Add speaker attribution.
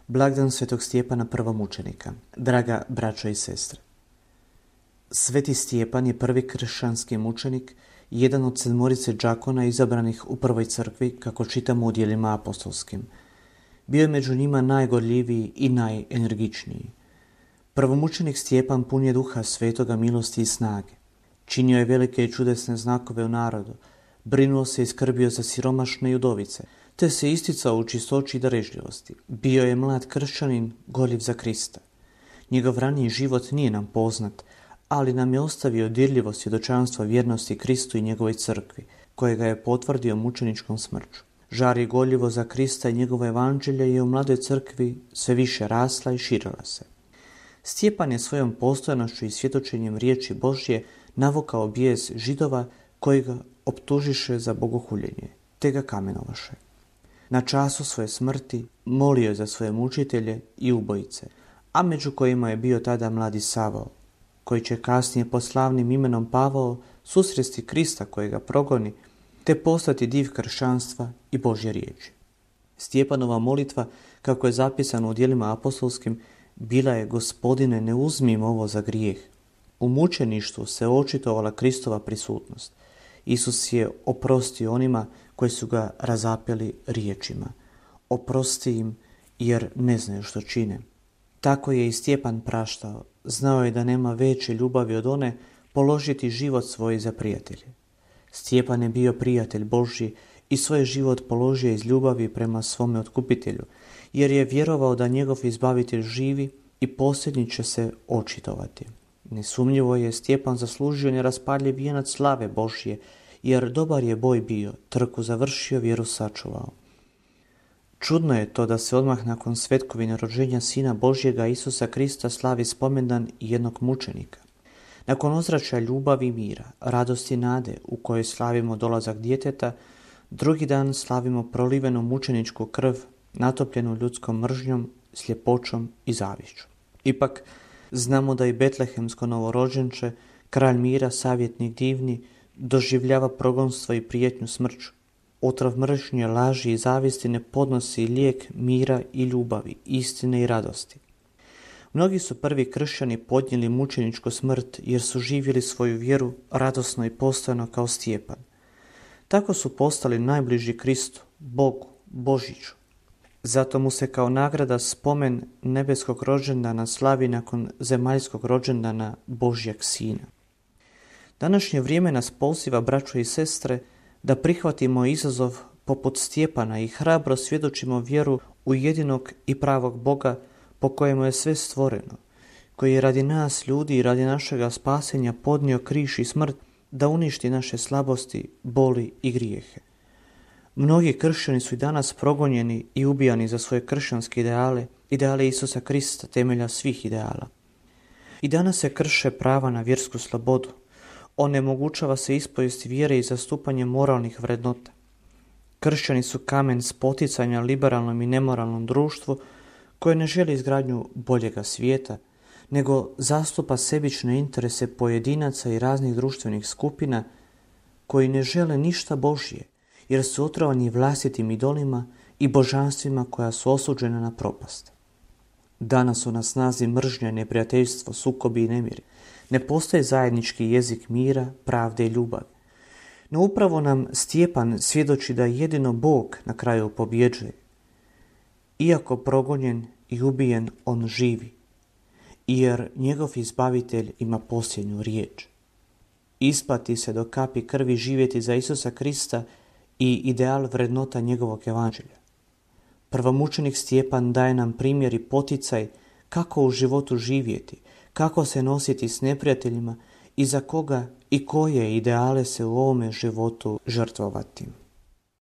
Speaker 1: Blagdan svetog Stjepana prvomučenika. Draga braćo i sestre. Sveti Stjepan je prvi kršćanski mučenik, jedan od 7 đakona izabranih u prvoj crkvi, kako čitamo u djelima apostolskim. Bio je među njima najgorljiviji i najenergičniji. Prvomučenik Stjepan pun je duha svetoga, milosti i snage. Činio je velike i čudesne znakove u narodu, brinuo se i skrbio za siromašne i udovice, te se isticao u čistoći i darežljivosti. Bio je mlad kršćanin, gorljiv za Krista. Njegov raniji život nije nam poznat, ali nam je ostavio dirljivo svjedočanstvo vjernosti Kristu i njegovoj crkvi, kojega je potvrdio mučeničkom smrću. Žar i gorljivo za Krista i njegovo evanđelje je u mladoj crkvi sve više rasla i širila se. Stjepan je svojom postojanošću i svjedočenjem riječi Božje navukao bijes Židova koji ga optužiše za bogohuljenje, te ga kamenovaše. Na času svoje smrti molio je za svoje mučitelje i ubojice, a među kojima je bio tada mladi Savao, koji će kasnije pod slavnim imenom Pavao susresti Krista koji ga progoni, te postati div kršćanstva i Božje riječi. Stjepanova molitva, kako je zapisano u djelima apostolskim, bila je: Gospodine, ne uzmi im ovo za grijeh. U mučeništvu se očitovala Kristova prisutnost. Isus je oprostio onima koji su ga razapeli riječima: oprosti im jer ne znaju što čine. Tako je i Stjepan praštao. Znao je da nema veće ljubavi od one položiti život svoj za prijatelje. Stjepan je bio prijatelj Božji i svoj život položio iz ljubavi prema svome otkupitelju, jer je vjerovao da njegov izbavitelj živi i posljednji će se očitovati. Nesumnjivo je Stjepan zaslužio neraspadljiv vijenac slave Božje, jer dobar je boj bio, trku završio, vjeru sačuvao. Čudno je to da se odmah nakon svetkovine rođenja Sina Božjega Isusa Krista slavi spomendan jednog mučenika. Nakon ozračja ljubavi i mira, radosti i nade u kojoj slavimo dolazak djeteta, drugi dan slavimo prolivenu mučeničku krv, natopljenu ljudskom mržnjom, sljepoćom i zavišću. Ipak, znamo da i betlehemsko novorođenče, kralj mira, savjetnik divni, doživljava progonstvo i prijetnju smrću. Otrov mržnje, laži i zavisti ne podnosi lijek mira i ljubavi, istine i radosti. Mnogi su prvi kršćani podnijeli mučeničku smrt jer su živjeli svoju vjeru radosno i postojano kao Stjepan. Tako su postali najbliži Kristu, Bogu, Božiću. Zato mu se kao nagrada spomen nebeskog rođendana slavi nakon zemaljskog rođendana Božjeg Sina. Današnje vrijeme nas poziva, braćo i sestre, da prihvatimo izazov poput Stjepana i hrabro svjedočimo vjeru u jedinog i pravog Boga po kojemu je sve stvoreno, koji je radi nas ljudi i radi našega spasenja podnio križ i smrt da uništi naše slabosti, boli i grijehe. Mnogi kršćani su i danas progonjeni i ubijani za svoje kršćanske ideale Isusa Krista, temelja svih ideala. I danas se krše prava na vjersku slobodu. Onemogućava se ispovijest vjere i zastupanje moralnih vrednota. Kršćani su kamen spoticanja liberalnom i nemoralnom društvu koje ne želi izgradnju boljega svijeta, nego zastupa sebične interese pojedinaca i raznih društvenih skupina koji ne žele ništa Božje, jer su otrovani vlastitim idolima i božanstvima koja su osuđena na propast. Danas su na snazi mržnja, neprijateljstvo, sukobi i nemiri. Ne postoji zajednički jezik mira, pravde i ljubavi. No upravo nam Stjepan svjedoči da jedino Bog na kraju pobjeđuje. Iako progonjen i ubijen, on živi, jer njegov izbavitelj ima posljednju riječ. Isplati se do kapi krvi živjeti za Isusa Krista i ideal vrednota njegovog evanđelja. Prvomučenik Stjepan daje nam primjer i poticaj kako u životu živjeti, kako se nositi s neprijateljima i za koga i koje ideale se u ovome životu žrtvovati.